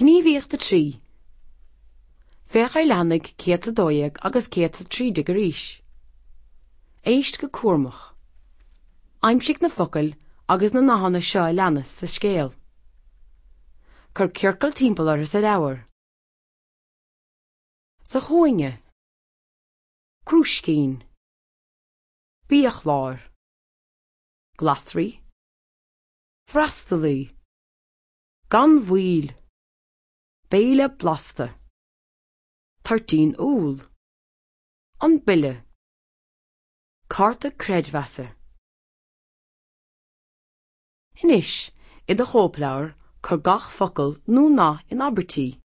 Gníomhaíocht 3. Féach ar leathanaigh 112 agus 113 arís. Éist go cúramach. Aimsigh na focail agus na nathanna seo a leanas sa scéal. Cuir ciorcal timpeall orthu sa leabhar. Sa chúinne. Crúiscín. Biachlár. Glasraí. Freastalaí. Gan mhoill. Béile blasta. Toirtín úll. An bille. Cárta creidmheasa. Anois, i do chóipleabhar, cuir gach focal nó nath in abairtí.